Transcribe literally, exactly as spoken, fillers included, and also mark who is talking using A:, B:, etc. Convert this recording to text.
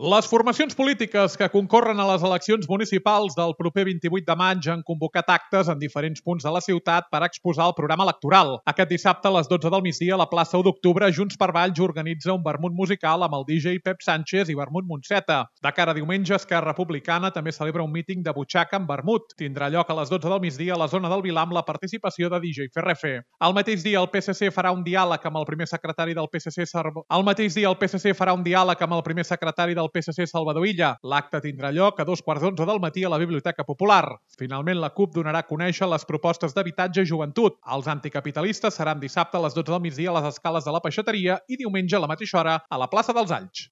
A: Les formacions polítiques que concorren a les eleccions municipals del proper vint-i-vuit de maig han convocat actes en diferents punts de la ciutat per exposar el programa electoral. Aquest dissabte a les dotze del migdia a la plaça u d'Octubre, Junts per Valls organitza un vermut musical amb el D J Pep Sánchez i vermut Montseta. De cara a diumenge, Esquerra Republicana també celebra un míting de butxaca amb vermut. Tindrà lloc a les dotze del migdia a la zona del Vilar amb la participació de D J Ferrefe. Al mateix dia, el P S C farà un diàleg amb el primer secretari del P S C Salvador... Al mateix dia, el P S C farà un diàleg amb el primer secretari del P S C Salvador Illa. L'acte tindrà lloc a dos quarts d'onze del matí a la Biblioteca Popular. Finalment, la CUP donarà a conèixer les propostes d'habitatge i joventut. Els anticapitalistes seran dissabte a les dotze del migdia a les escales de la Peixateria i diumenge a la mateixa hora a la plaça dels Alls.